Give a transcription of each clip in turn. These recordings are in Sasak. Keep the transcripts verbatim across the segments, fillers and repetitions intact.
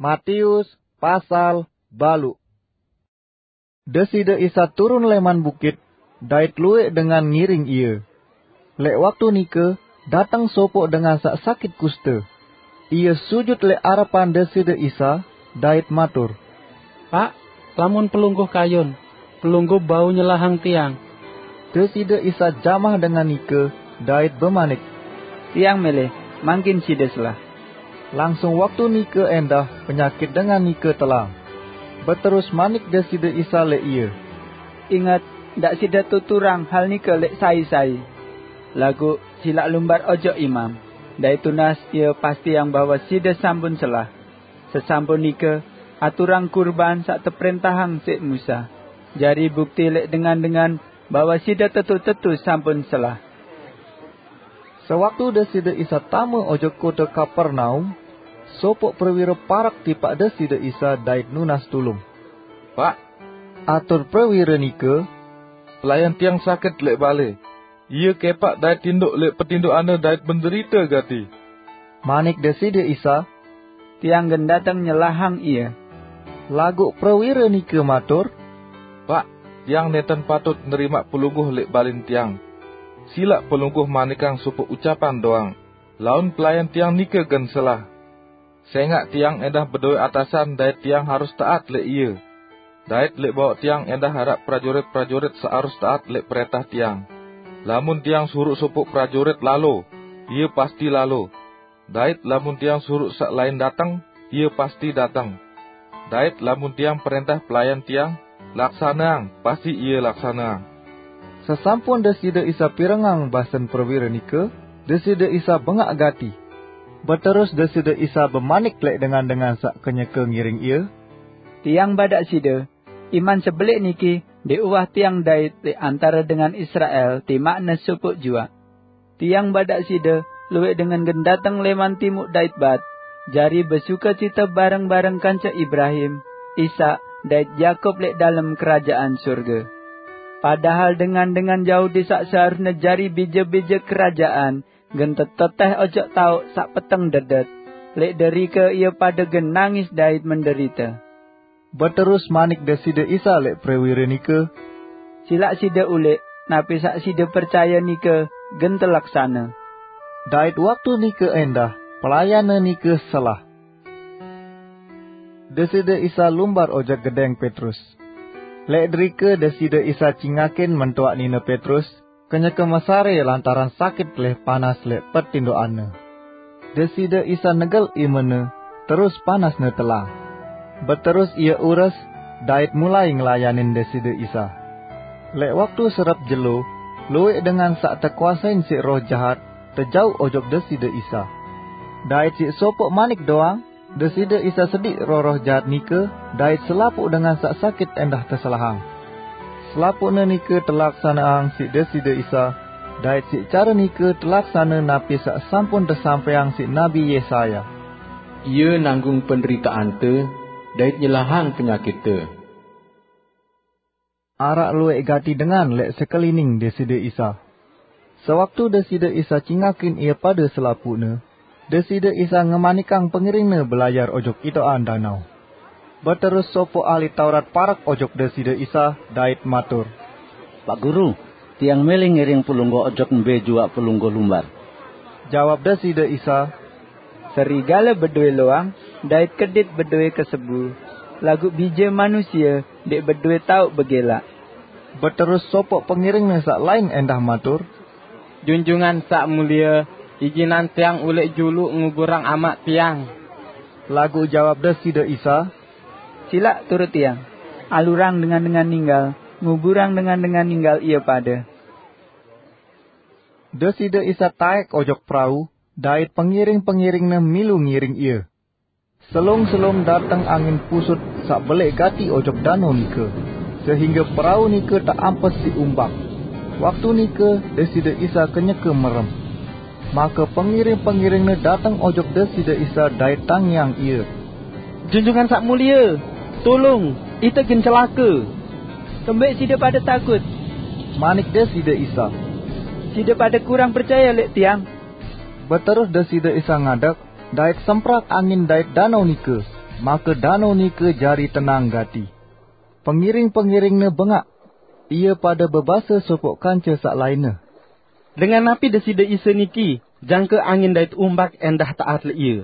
Matius pasal balu. Deside Isa turun leman bukit, dait lueq dengan ngiring Ie. Leq waktu nike, dateng sopoq dengan saq sakit kuste. Ie sujut leq arepan Deside Isa, dait matur, "Paq, lamun pelungguh kayun, pelungguh bau nyelahang tiang." Deside Isa jamah dengan nike, dait bemanik, "Tiang mele, mangkin side selah." Langsung waktu nike endah penyakit dengan nike telang. Beterus manik Deside Isa leq ie, "Inget, ndaq side tuturang hal nike leq sai-sai. Laguq silaq lumbar ojok imam, dait tunas ie pastiang bahwe side sampun selah. Sesampun nike, aturang kurban saq teprentahang siq Musa, jari bukti leq dengan-dengan bahwe side tetu-tetu sampun selah." Sewaktu Deside Isa tame ojok kote Kapernaum, sopoq prewire parek tipaq Deside Isa dait nunas tulung. "Paq," atur prewire nike, "pelayan tiang sakit leq bale. Ie kepaq dait tindoq leq petindoqanne dait menderite gati." Manik Deside Isa, "Tiang gen dateng nyelahang ie." Laguq prewire nike matur, "Paq, tiang nenten patut nerimaq pelungguh leq balen tiang. Silaq pelungguh manikang sopoq ucapan doang, laun pelayan tiang nike gen selah. Sengaq tiang endah bedowe atasan dait tiang harus taat leq ie. Dait leq bawaq tiang endah araq prajurit-prajurit saq harus taat leq prentah tiang. Lamun tiang suruq sopoq prajurit lalo, ie pasti lalo. Dait lamun tiang suruq saq lain dateng, ie pasti dateng. Dait lamun tiang prentah pelayan tiang, 'Laksaneang,' pasti ie laksaneang." Sesampun Deside Isa pirengang basen prewire nike, Deside Isa bengaq gati. Beterus Deside Isa bemanik leq dengan-dengan saq kenyeke ngiring Ie, "Tiang badaq side, iman sebeleq niki ndeq uwah tiang dait leq antare dengan Israel timaqne sopoq juaq. Tiang badaq side lueq dengan gen dateng leman timuq dait bat, jari besukecite bareng-bareng kance Ibrahim, Ishak, dait Yakub leq dalem kerajaan sorge. Padahal dengan-dengan Yahudi saq seharusne jari bije-bije kerajaan, gen teteteh ojok taoq saq peteng dedet. Leq derike ie pade gen nangis dait menderite." Beterus manik Deside Isa leq prewire nike, "Silaq side uleq, napi saq side percaye nike gen telaksane." Dait waktu nike endah, pelayanne nike selah. Deside Isa lumbar ojok gedeng Petrus. Leq derike Deside Isa cingakin mentoaq nine Petrus, kenyeke mesare lantaran sakit leq panas leq petindoqanne. Deside Isa negel imene, terus panasne telang. Beterus ie ures, dait mulai ngelayanin Deside Isa. Leq waktu serep jelo, lueq dengan saq tekuasein siq roh jahat tejauq ojok Deside Isa. Dait siq sopoq manik doang, Deside Isa sediq roh-roh jahat nike, dait selapuq dengan saq sakit endah teselahang. Selapuqne nike telaksaneang siq Deside Isa, dait siq care nike telaksane napi saq sampun tesampaiang siq Nabi Yesaya, "Ie nanggung penderitaante dait nyelahang penyakitte." Araq lueq gati dengan leq sekelining Deside Isa. Sewaktu Deside Isa cingakin ie pade selapuqne, Deside Isa ngemanikang pengiringne belayar ojok itoqan danao. Beterus sopoq ahli Taurat parek ojok Deside Isa dait matur, "Paq Guru, tiang mele ngiring pelungguh ojok mbe juaq pelungguh lumbar." Jawab Deside Isa, "Serigale bedowe loang, dait kedit bedowe kesebu, laguq Bije Manusie ndeq bedowe taoq begelaq." Beterus sopoq pengiringne saq lain endah matur, "Junjungan Saq Mulie, ijinang tiang uleq juluq nguburang amaq tiang." Laguq jawab Deside Isa, "Silaq turut Tiang, alurang dengan-dengan ninggal, nguburang dengan-dengan ninggal ie pade." Deside Isa taek ojok perau, dait pengiring-pengiring-Ne milu ngiring Ie. Selung-selung dateng angin pusut saq beleq gati ojok danao nike, sehingge perau nike teampes siq umbak. Waktu nike Deside Isa kenyeke merem. Make pengiring-pengiring-Ne dateng ojok Deside Isa dait tangiang Ie. "Junjungan Saq Mulie, tulung! Ite gen celake!" "Kembeq side pade takut?" manik Deside Isa. "Side pade kurang percaye leq Tiang?" Beterus Deside Isa ngadeg, dait semprak angin dait danao nike. Maka danau nika jari tenang gati. Pengiring-pengiringne bengak. Ia pada bebasa sopoq kance saq lainne, "Dengan napi Deside Isa niki, jangke angin dait umbak endah taat leq Ie?"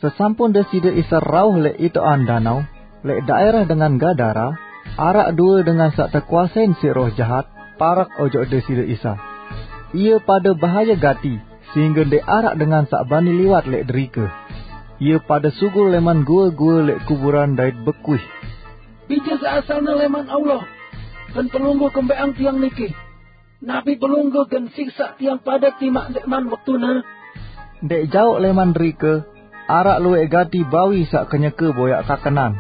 Sesampun Deside Isa rauh leq itoqan danau, leq daerah dengan Gadara, araq due dengan saq tekuasein siq roh jahat, parak ojok Deside Isa. Ie pade bahaye gati, sehingge ndeq araq dengan saq bani liwat leq derike. Ie pade sugul leman gue-gue leq kuburan dait bekuih, "Bije saq asalne leman Allah, gen pelungguh kembeqang tiang niki? Napi pelungguh gen siksaq tiang pade timaq ndeqman wektune?" Ndeq jaoq leman derike, araq lueq gati bawi saq kenyeke boyaq kakenan.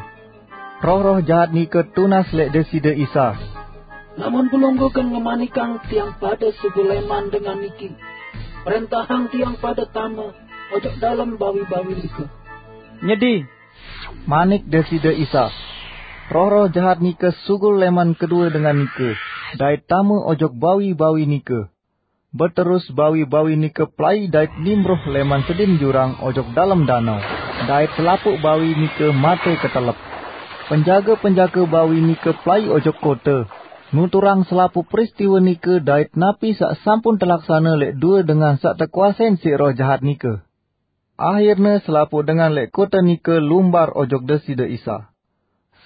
Roh-roh jahat nike tunas leq Deside Isa, "Lamun pelungguh gen ngemanikang tiang pade sugul leman dengan niki, prentahang tiang pade tame ojok dalem bawi-bawi nike." "Nyedi," manik Deside Isa. Roh-roh jahat nike sugul leman kedue dengan nike, dait tame ojok bawi-bawi nike. Beterus bawi-bawi nike pelai dait nimruh leman sedin jurang ojok dalem danau, dait selapuq bawi nike mate ketelep. Penjage-penjage bawi nike pelai ojok kote, nuturang selapuq peristiwe nike dait napi saq sampun telaksane leq due dengan saq tekuasein siq roh jahat nike. Ahirne selapuq dengan leq kote nike lumbar ojok Deside Isa.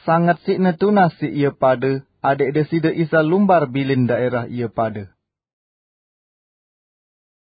Sanget siqne tunas siq ie pade, adeq Deside Isa lumbar bilin daerah ie pade.